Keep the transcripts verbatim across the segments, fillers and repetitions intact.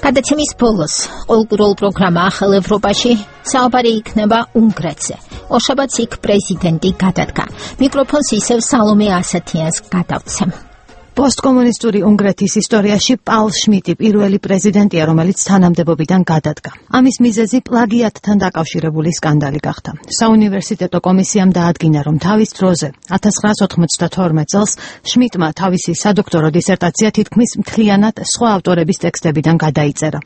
გადაცემის ბოლოს ყოველკვირეულ პროგრამა ახალ ევროპაში საუბარი იქნება უნგრეთზე. ორშაბათს იქ პრეზიდენტი გადადგა. მიკროფონს ისევ სალომე ასათიანს გადავცემ. Postkomunistური უნგრეთის ისტორიაში პაულ შმიტი პირველი პრეზიდენტია, რომელიც თანამდებობიდან გადადგა. ამის მიზეზი პლაგიატთან დაკავშირებული სკანდალი გახდა. საუნივერსიტეტო კომისიამ დაადგინა, რომ თავის დროზე ათას ცხრაას ოთხმოცდათორმეტ წელს შმიტმა თავისი სადოქტორო დისერტაცია თითქმის მთლიანად სხვა ავტორების ტექსტებიდან გადაიწერა.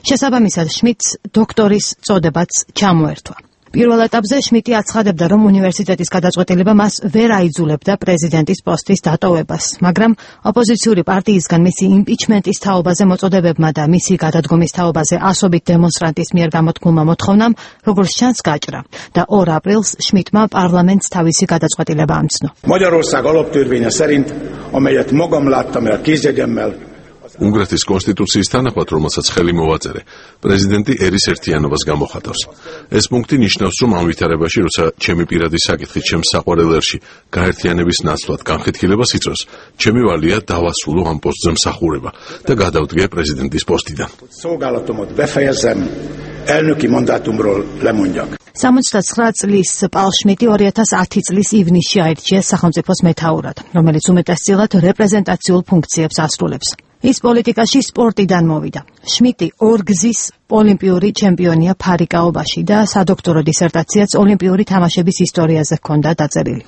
შესაბამისად, შმიტს დოქტორის წოდებაც ჩამოერთვა. პირველ ეტაპზე შმიტი აცხადებდა, რომ უნივერსიტეტის გადაწყვეტილება მას ვერ აიძულებდა პრეზიდენტის პოსტის დატოვებას, მაგრამ ოპოზიციური პარტიისგან მისი იმპიჩმენტის თაობაზე მოწოდებებმა და მისი გადადგომის თაობაზე ასობით დემონსტრანტის მიერ გამოთქმულმა მოთხოვნამ, როგორც ჩანს, გაჭრა და ორ აპრილს შმიტმა პარლამენტს თავისი გადაწყვეტილება ამცნო. Magyarország alaptörvénye szerint, amelyet magam láttam el kézjegyemmel, უნგრეთის კონსტიტუციის თანახმად, რომელსაც ხელი მოვაწერე, პრეზიდენტი ერის ერთიანობას გამოხატავს. ეს პუნქტი ნიშნავს, რომ ამ ვითარებაში, როცა ჩემი პირადი საკითხი ჩემს საყვარელ ერში გაერთიანების ნაცვლად განხეთქილებას იწვევს, ჩემი ვალია დავასრულო ამ პოსტზე მსახურება და გადავდგე პრეზიდენტის პოსტიდან. Szolgálatomot befejezzem, elnöki mandátumról lemondjak. სამოცდაცხრა წლის პაულ შმიტი ორი ათას ათი წლის ივნისში აირჩიეს სახელმწიფოს მეთაურად, რომელიც უმეტესწილად რეპრეზენტაციულ ფუნქციებს ასრულებს. ის პოლიტიკაში სპორტიდან მოვიდა. შმიტი ორგზის ოლიმპიური ჩემპიონია ფარიკაობაში და სადოქტორო დისერტაციაც ოლიმპიური თამაშების ისტორიაზე ჰქონდა დაწერილი.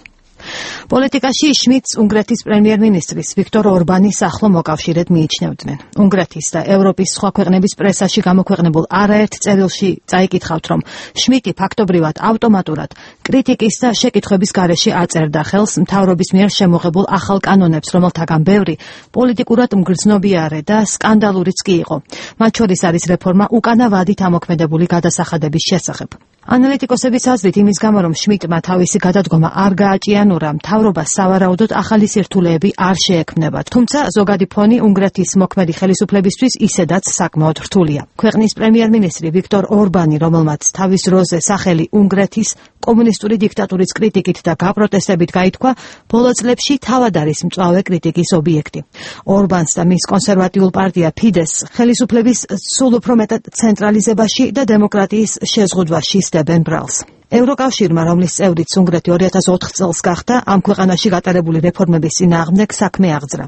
პოლიტიკაში შმიტს უნგრეთის პრემიერ-მინისტრის ვიქტორ ორბანის ახლო მოკავშირედ მიიჩნევდნენ. უნგრეთის და ევროპის სხვა ქვეყნების პრესაში გამოქვეყნებულ არაერთ წერილში წაიკითხავთ, რომ შმიტი ფაქტობრივად ავტომატურად კრიტიკის და შეკითხვების გარეშე აწერდა ხელს მთავრობის მიერ შემოღებულ ახალ კანონებს, რომელთაგან ბევრი პოლიტიკურად მგრძნობიარე და სკანდალურიც კი იყო. მათ შორის არის რეფორმა უკანა ვადით ამოქმედებული გადასახადების შესახებ. ანალიტიკოსების აზრით, იმის გამო, რომ შმიტმა თავისი გადადგომა არ გააჭიანურა, მთავრობას სავარაუდოდ ახალი სირთულეები არ შეექმნება. თუმცა ზოგადი ფონი უნგრეთის მოქმედი ხელისუფლებისთვის ისედაც საკმაოდ რთულია. ქვეყნის პრემიერ-მინისტრი ვიქტორ ორბანი, რომელმაც თავის დროზე სახელი უნგრეთის კომუნისტური დიქტატურის კრიტიკით და გაპროტესტებით გაითქვა, ბოლო წლებში თავად არის მწვავე კრიტიკის ობიექტი. ორბანს და მის კონსერვატიულ პარტია ფიდესს ხელისუფლების სულ უფრო მეტად ცენტრალიზებაში და დემოკრატიის შეზღუდვაში სდებენ ბრალს. ევროკავშირმა, რომლის წევრიც უნგრეთი ორი ათას ოთხ წელს გახდა, ამ ქვეყანაში გატარებული რეფორმების წინააღმდეგ საქმე აღძრა.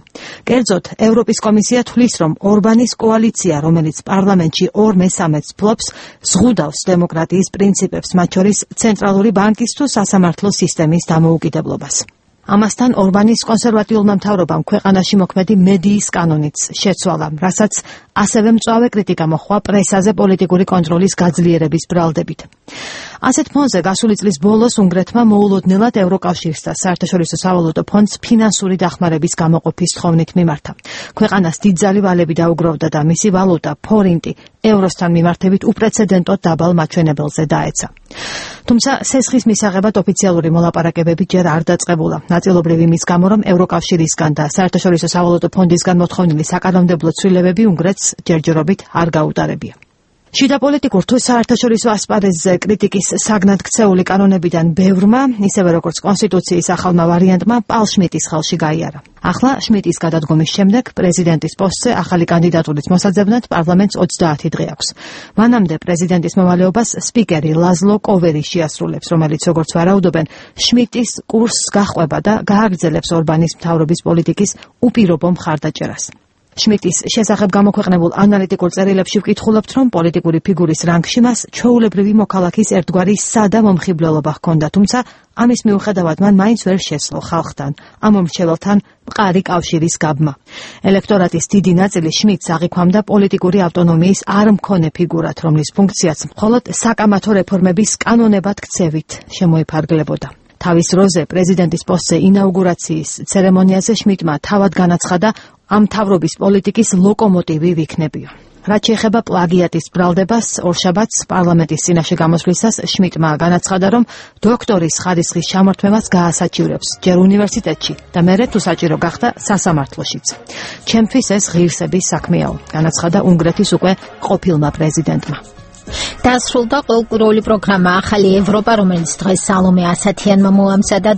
კერძოდ, ევროპის კომისია თვლის, რომ ორბანის კოალიცია, რომელიც პარლამენტში ორ მესამედს ფლობს, ზღუდავს დემოკრატიის პრინციპებს, მათ შორის ცენტრალური ბანკის თუ სასამართლო სისტემის დამოუკიდებლობას. ამასთან ორბანის კონსერვატიულმა მთავრობამ ქვეყანაში მოქმედი მედიის კანონიც შეცვალა, რასაც ასევე მწვავე კრიტიკა მოჰყვა პრესაზე პოლიტიკური კონტროლის გაძლიერების ბრალდებით. ასეთ ფონზე გასული წლის ბოლოს უნგრეთმა მოულოდნელად ევროკავშირს და საერთაშორისო სავალუტო ფონდს ფინანსური დახმარების გამოყოფის თხოვნით მიმართა. ქვეყანას დიდძალი ვალები დაუგროვდა და მისი ვალუტა ფორინტი ევროსთან მიმართებით უპრეცედენტოდ დაბალ მაჩვენებელზე დაეცა. თუმცა სესხის მისაღებად ოფიციალური მოლაპარაკებები ჯერ არ დაწყებულა. ნაწილობრივ იმის გამო, რომ ევროკავშირისგან და საერთაშორისო სავალუტო ფონდისგან მოთხოვნილი საკანონმდებლო ცვლილებები უნგრეთს ჯერჯერობით არ გაუტარებია. შიდა პოლიტიკურ თუ საერთაშორისო ასპარეზზე კრიტიკის საგნად ქცეული კანონებიდან ბევრმა, ისევე როგორც კონსტიტუციის ახალმა ვარიანტმა, პაულ შმიტის ხელში გაიარა. ახლა შმიტის გადადგომის შემდეგ პრეზიდენტის პოსტზე ახალი კანდიდატურის მოსაძებნად პარლამენტს ოცდაათი დღე აქვს. მანამდე პრეზიდენტის მოვალეობას სპიკერი ლაზლო კოვერი შეასრულებს, რომელიც, როგორც ვარაუდობენ, შმიტის კურსს გაჰყვება და გააგრძელებს ორბანის მთავრობის პოლიტიკის უპირობო მხარდაჭერას. შმიტის შესახებ გამოქვეყნებულ ანალიტიკურ წერილებში ვკითხულობთ, რომ პოლიტიკური ფიგურის რანგში მას ჩვეულებრივი მოქალაქის ერთგვარი სადა მომხიბვლელობა ჰქონდა, თუმცა ამის მიუხედავად მან მაინც ვერ შესძლო ხალხთან, ამ მომრჩეველთან მყარი კავშირის გაბმა. ელექტორატის დიდი ნაწილი შმიტს აღიქვამდა პოლიტიკური ავტონომიის არ მქონე ფიგურად, რომლის ფუნქციაც მხოლოდ საკამათო რეფორმების კანონებად ქცევით შემოიფარგლებოდა. თავის დროზე პრეზიდენტის პოსტზე ინაუგურაციის ცერემონიაზე შმიტმა თავად განაცხადა, ამ მთავრობის პოლიტიკის ლოკომოტივი ვიქნებიო. რაც შეეხება პლაგიატის ბრალდებას, ორშაბათს პარლამენტის წინაშე გამოსვლისას შმიტმა განაცხადა, რომ დოქტორის ხარისხის ჩამორთმევას გაასაჩივრებს ჯერ უნივერსიტეტში და მერე თუ საჭირო გახდა სასამართლოშიც. ჩემთვის ეს ღირსების საქმეაო, განაცხადა უნგრეთის უკვე ყოფილმა პრეზიდენტმა. დასრულდა ყოველკვირეული პროგრამა ახალი ევროპა, რომელიც დღეს სალომე ასათიანმა მოამზადა.